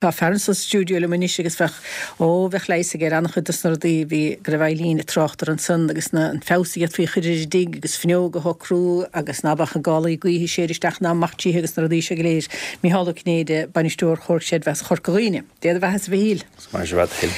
Tá fear anso sa stiúideo liom anois agus bheadh, ó, bheadh leigheas aige ar an-chuid dos na rudaí a bhí, go raibh Eileen ag trácht orthu ansan agus na, an feabhas a d'fhéadfaí a chur ar an dtigh agus fuinneog a shocrú agus ná beadh na gálaí gaoithe ag séideadh isteach ná amach títhe agus na rudaí seo go léir. Mícheál Ó Cinnéide, Bainisteoir Chomhar Creidmheasa Chorca Dhuibhne. Dé do bheatha-sa a Mhichíl. Maith sibh a Thuill.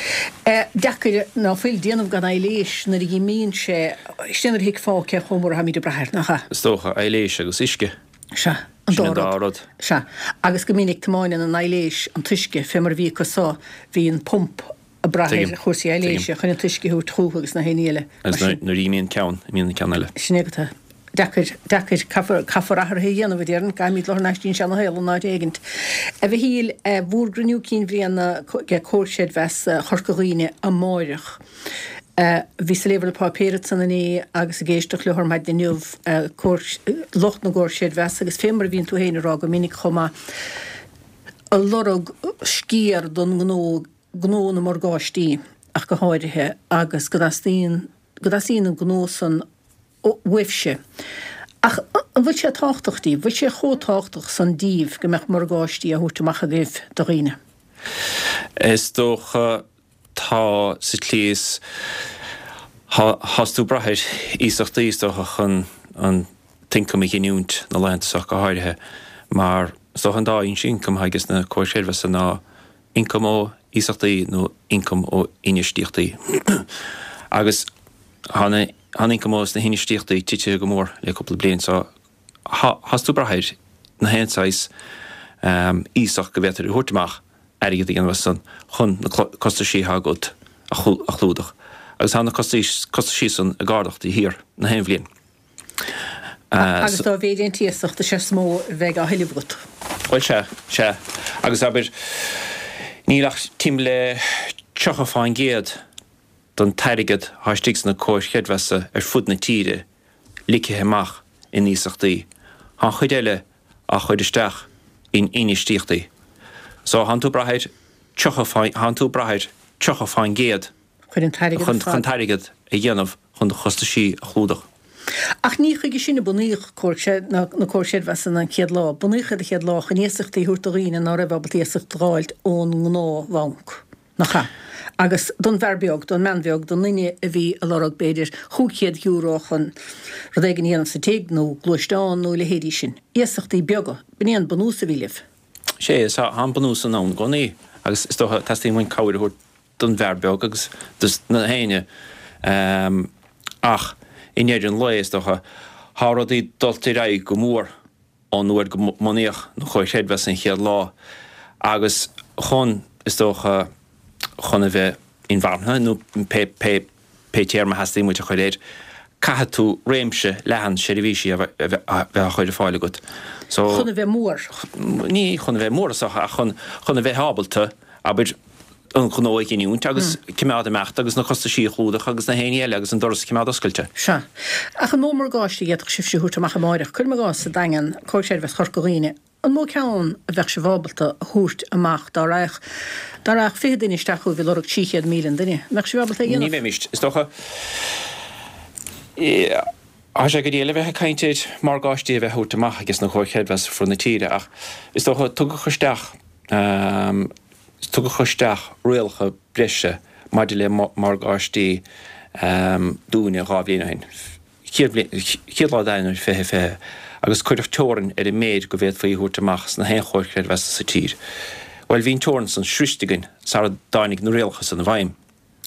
Deacair ná fuil déanamh gan aibhléis nuair a dh'imíonn sé, sin é nuair a thuigfeá cé chomh mór atáimid ag brath air, nach ea? Is dócha, aibhléis agus uisce. Sea, an Sin an dá rud. Sea. Agus go minic tiomáineann an aibhléis an t-uisce, fé mar a bhí acu so, bhí an pump ag brath ar chúrsaí aibhléise chun an t-uisce a thabhairt chúthu agus na haon ní eile. Agus nuair a imíonn ceann, imíonn an ceann eile. Sin é agat é. Deacair, deacair. Caithfear, caithfear athruithe a dhéanamh, a déarfainn. Caithfimid dul thar n-ais dtí'n seana-shaol in áit éigint. A Mhichíl, bhúr gcruinniú cinn bhliana ag Comhar Creidmheasa Chorca Dhuibhne amáireach. Bhíos ag léamh ar na páipéir ansan inné agus ag éisteacht leo ar maidin inniu, lucht na gcomhar creidmheasa agus fé mar a bhíonn tú féin ag rá go minic chomh maith, ag lorg sciar don ngnó, gnó na morgáistí ach go háirithe, agus go dteastaíonn, go dteastaíonn an gnó san uaibhse. Ach an bhfuil sé tábhachtach díbh, bhfuil sé chomh tábhachtach san díbh go mbeadh morgáistí á thabhairt amach agaibh do dhaoine? Is dócha Tá, sa tslí is thás tú ag brath ar iasachtaí is dócha chun an t-ioncam a ghiniúint na laethanta seo go háirithe mar is dócha an dá fhoinse ioncaim atá ages na comhair chreidmheasa ná ioncam ó iasachtaí nó ioncam ó infheistíochtaí agus tá an ioncam ó sna hinfheistíochtaí titithe go mór le cúpla bliain so thás tú ag brath ar na haon saghas iasacht go bhféadfair a thabhairt amach airgead a dhéanamh as san chun na costaisí atá agat a chlúdach. Agus tá na costaisí san ag ardacht de shíor na haon bhliain. Agus dá mhéid an t-iasacht is ea is mó a bheidh á thuilleamh agat. Bhuel sea, sea. Agus abair, níl ach timpeall le 30% den t-airgead atá istigh sna comhair chreidmheasa ar fud na tíre ligthe amach in iasachtaí. Tá an chuid eile á chur isteach in infheistíochtaí. So, thánn tú ag brath ar 30, thánn tú ag brath ar 30% Chun an t-airgead chun an t-airgead a dhéanamh chun do chostaisí a chlúdach. Ach ní chuige sin a bunaíodh comhar, na comhair chreidmheasa an chéad lá. Bunaíodh iad an chéad lá chun iasachtaí a thabhairt do dhaoine ná raibh ábalta iasacht a dh'fháilt ón ngnáthbhanc. Nach ea? Agus don bhfear beag, don mbean bheag, don duine a bhí ag lorg, b'fhéidir, €500 chun rud éigin a dhéanamh sa tigh, nó gluaisteán, nó a leithéidí sin. Iasachtaí beaga. B'in é an bunús a bhí libh. Sea, tá an bunús san ann i gcónaí. Agus is dócha, teastaíonn uainn cabhair a thabhairt don bhfear beag agus dos na héinne. Ach i ndeireadh an lae, is dócha, tá rudaí dulta ar aghaidh go mór. ón uair go mbunaíodh na comhair chreidmheasa an chéad lá agus chun, is dócha, chun a bheith inmharthana nó pé, pé, pé téarma a theastaíonn uait a chur air, caithfidh tú réimse leathan seirbhísí a bheith, a bheith á chur ar fáil agat. So. Chun a bheith mór. Ní chun a bheith mór is dócha ach chun, chun a bheith ábalta, abair, an gnó a ghiniúint agus cimeád ag imeacht agus na costaisí a chlúdach agus na haon ní eile agus an doras a chimeád oscailte. Sea. Ach an mó morgáiste a d'fhéadfadh sibhse a thabhairt amach amáireach? Cuirim i gcás, sa Daingean, Comhar Creidmheasa Chorca Dhuibhne, an mó ceann a bheadh sibh ábalta a thabhairt amach dá raghadh, dá raghadh 20 duine isteach chugaibh ag lorg 300,000 an duine? An mbeadh sibh ábalta é a dhéanamh? Ní bheimis, is dócha. Tá sé go diail a bheith ag caint ar morgáistí a bheith á thabhairt amach ages na comhair chreidmheasa fud na tíre ach is dócha tugadh isteach, Tugadh isteach rialacha breise maidir le morgáistí dúinne 2 bhliain ó shin, chéad lá d'Eanáir 2020, agus cuireadh teorainn ar an méid go bhféadfaí a thabhairt amach sna haon chomhair chreidmheasa sa tír. Bhuel, bhí an teorainn san sroichte againn sara dtáinig na rialacha san i bhfeidhm.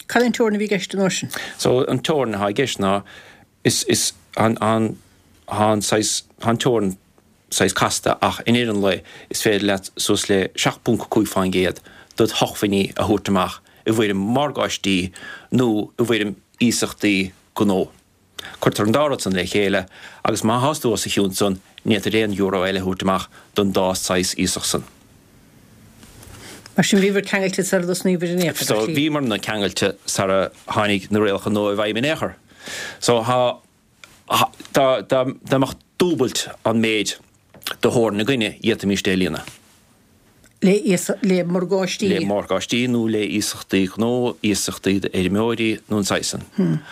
Cad é an teorainn a bhí i gceist an uair sin? So, an teorainn atá i gceist ná, is, is, an, an, tá an saghas, tá an teorainn saghas casta ach i ndeireadh an lae is féidir leat suas le 7.5% dod shócmhainní a thabhairt amach i bhfoirm morgáistí nó i bhfoirm iasachtaí gnó. Cuirtear an dá rud san le chéile agus má thás tú os a chionn san ní fhéadfair aon euro eile a thabhairt amach don dá saghas iasacht san. Mar sin bhíobhair ceangailte sara dtosnaíobhair in aon chor, So bhíomarna ceangailte sara tháinig na rialacha nua i bhfeidhm in aon chor. So thá. Dá mbeadh dúbailt an méid de theorainn againne, d'fhéadfaimíst é a líonadh. Le morgáistí. Le morgáistí nó le iasachtaí gnó, iasachtaí d'fheirmeoirí nó an saghas san.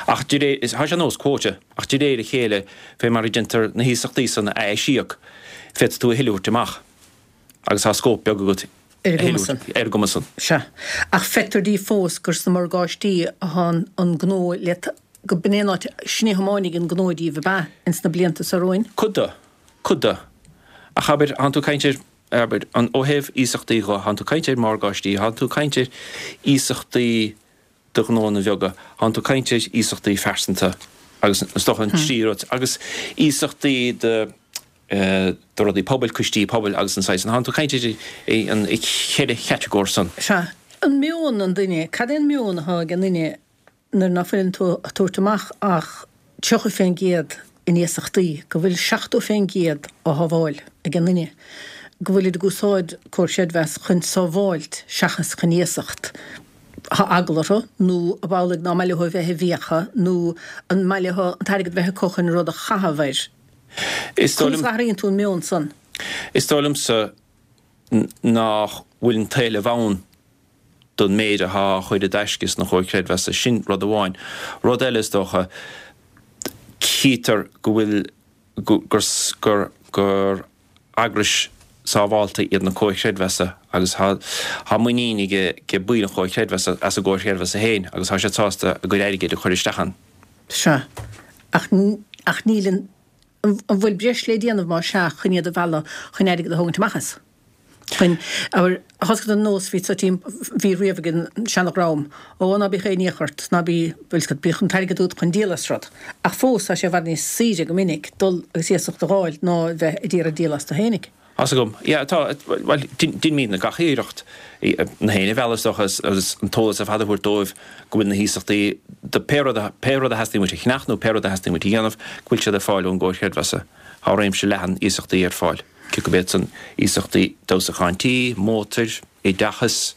Ach de réir, tá sé ar nós quota, ach de réir a chéile, fé mar a déantar na hiasachtaí san a aisíoc, féadfaidh tú a thuilleadh a thabhairt amach agus tá scóip beag agat. Ar a gcuma san. Ar a gcuma san. Sea. Ach feictear daoibh fós gur sna morgáistí atá an gnó le, go b'in é an áit, sin é a thiomáinfidh an gnó daoibh, ab ea, ins na blianta so romhainn? Cuid de. Cuid de. Ach abair, thánn tú ag caint ar, abair, an, ó thaobh iasachtaí dho, thánn tú ag caint ar mhorgáistí, thánn tú ag caint ar iasachtaí do ghnóanna bheaga, thánn tú ag caint ar iasachtaí phearsanta agus is dócha an trí rud, agus iasachtaí do, do rudaí pobail, coistí pobail agus an saghas san. Thánn tú ag caint ar an cheithre chatagóir san. Sea. An meon an duine, cad é an meon atá ag an nduine nuair ná fuileann tú ag tabhairt amach ach 30 fén gcéad in iasachtaí, go bhfuil 70 fén gcéad á shábháil ag an nduine, go bhfuilid ag úsáid Comhar Creidmheasa chun sábháilt seachas chun iasacht. Tá eagla orthu, nó ab amhlaidh ná maith leo a bheith i bhfiacha, nó an maith leo an t-airgead a bheith acu chun rud a chaitheamh air. Is dóigh liom. Conas a athraíonn tú an meon san? Is dóigh liomsa nach bhfuil an t-éileamh ann don méid athá á chur i dtaisce sna Comhair Chreidmheasa. Sin rud amháin. Rud eile is dócha, chítear go bhfuil, gur, gur, gur eagrais sábhálta iad na Comhair Chreidmheasa agus thá, thá muinín ag, ag baill an Chomhair Chreidmheasa as an gComhar Chreidmheasa féin agus thá siad sásta a gcuid airgid a chur isteach ann. Sea. Ach, ach níl an, an bhfuil breis le déanamh más ea chun iad a mhealladh chun airgead a thógaint amach as? Chun, abair, thosaigh an nós bhí sa tím, bhí riamh ag an seana-dhream, ó ná bíodh aon fhiach ort, ná bí, bhfuil 'fhios agat, bíodh an t-airgead agat chun díol as rud. Ach fós tá sé i bhfad níos saoire go minic dul agus iasacht a dh'fháil ná a bheith ag iarraidh díol as do fhéinig. Tá's agam. Yeah, tá, bhuel, deinimidne gach iarracht na héinne a mhealladh is dócha agus an t-eolas ar fad a thabhairt dóibh go bhfuil na hiasachtaí do pé rud a, pé rud a theastaíonn uait a cheannach nó pé rud a theastaíonn uait a dhéanamh, go bhfuil siad ar fáil ón gComhar Creidmheasa. Tá réimse leathan iasachtaí ar fáil, cé gurb iad san iasachtaí d'fheabhsúchán tí, mótair, oideachas,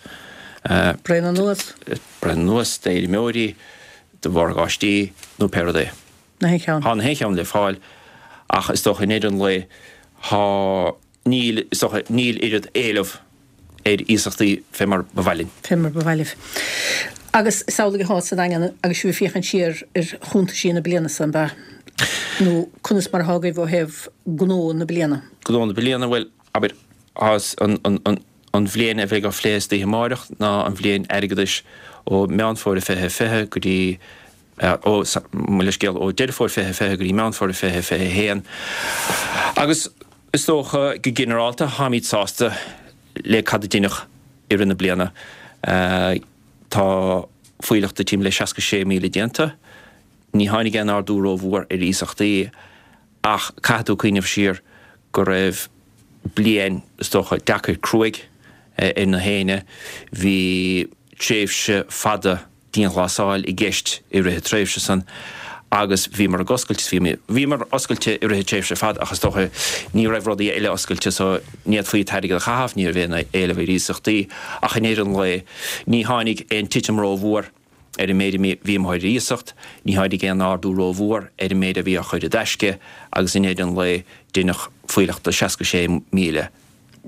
Braon anuas. braon anuas, d'fheirmeoirí, do mhorgáistí nó pé rud é. Na haon cheann. Tá na haon cheann le fáil ach is dócha i ndeireadh an lae tá, níl, is dócha, níl oiread éileamh ar iasachtaí fé mar ba mhaith linn. Fé mar ba mhaith libh. Agus is amhlaidh athá sa Daingean agus sibh ag féachaint siar ar chuntaisí na bliana so, an ea? Nó conas mar athá agaibh ó thaobh gnó na bliana? Gnó na bliana, bhuel, abair, thá an, an, an, an bhliain a bheidh á phlé istoíche amáireach ná an bhliain airgeadais ó Meán Fómhair 2020 go dtí ó, mo leithscéal, ó Deireadh Fómhair 2020 go dtí Meán Fómhair 2021. Agus is dócha, go ginearálta, táimid sásta le cad a deineadh i rith na bliana. Tá fuílleach de timpeall le 66,000 déanta. Ní tháinig aon ardú rómhór ar iasachtaí ach caithfidh tú cuimhneamh siar go raibh bliain, is dócha, deacair cruaidh ar na héinne. Bhí tréimhse fada dianghlasáil i gceist i rith an tréimhse san agus bhíomar ag oscailt, bhíomar oscailte i rith an tréimhse ar fad ach is dócha ní raibh rudaí eile oscailte so ní fhéadfaí an t-airgead a chaitheamh, ní raibh aon éileamh ar iasachtaí ach i ndeireadh an lae ní tháinig aon titim rómhór ar an méid a bhí amuigh ar iasacht, ní tháinig aon ardú rómhór ar an méid a bhí á chur i dtaisce agus i ndeireadh an lae deineadh fuílleach de 66,000.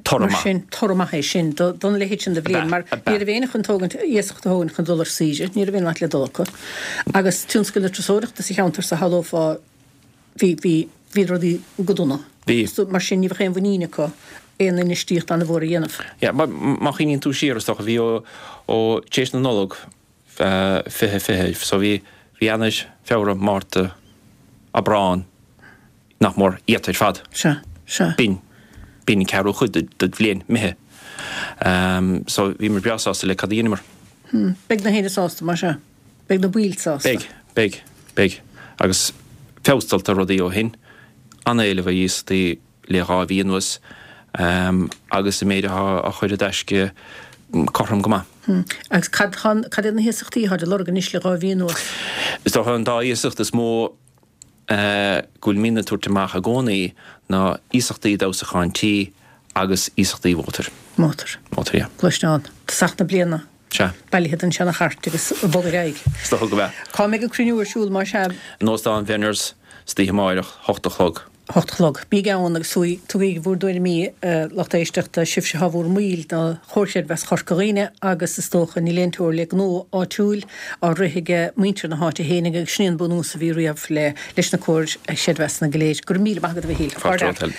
Toradh maith. Mar sin, toradh maith é sin don leithéid sin de bhliain, mar ní raibh éinne chun tógaint, iasacht a thógaint chun dul ar saoire, ní raibh aon áit le dul acu. Agus tionscal na turasóireachta sa cheantar so shamhlófá, bhí, bhí, bhí rudaí go dona. Bhí. Mar sin, ní bheadh aon mhuinín acu aon infheistíocht an-mhór a dhéanamh. Yeah, má chuimhníonn tú siar, is dócha, bhí ó, ó, tar éis na Nollag, 2020, so bhí, bhí Eanáir, Feabhra, Márta, Aibreán, nach mór iata ar fad. Sea, sea. B'in, b'in an ceathrú chuid de bhliain imithe. So bhíomar breá sásta le cad a dheineamar. Hmm. Beidh na héinne sásta, más ea. Beidh na baill sásta. Beidh, beidh, beidh. Agus feabhas tagtha ar rudaí ó shin. An-éileamh ar iasachtaí le 2 mhí anuas agus an méid atá á chur i dtaisce cothrom go maith. Hmm. Agus cad, cad iad na hiasachtaí atá á lorg anois le 2 mhí anuas? Is dócha an dá iasacht is mó go bhfuilimidne ag tabhairt amach i gcónaí ná iasachtaí d'fheabhsúchán tí agus iasachtaí mhótair. Mótar. Mótar, yeah. Gluaisteán. Tosach na bliana. Sea. Bailithe den seana-chairt agus ag bogadh ar aghaidh. Is dócha go bhea. Cá mbeidh an cruinniú ar siúl más ea? In Óstán Bhenners, istoíche amáireach, hocht a chlog. 8 a chlog. Bígí ann agus tugaigí bhur dtuairimí, a lucht éisteachta, sibhse atá bhur mbaill de Chomhar Creidmheasa Chorca Dhuibhne agus is dócha níl aon teora le gnó áitiúil á rith ag muintir na háite fhéinig agus sin é an bunús a bhí riamh le leis na Comhair Chreidmheasanna go léir. Go raibh míle maith agat a Mhichíl. Fáilte romhat.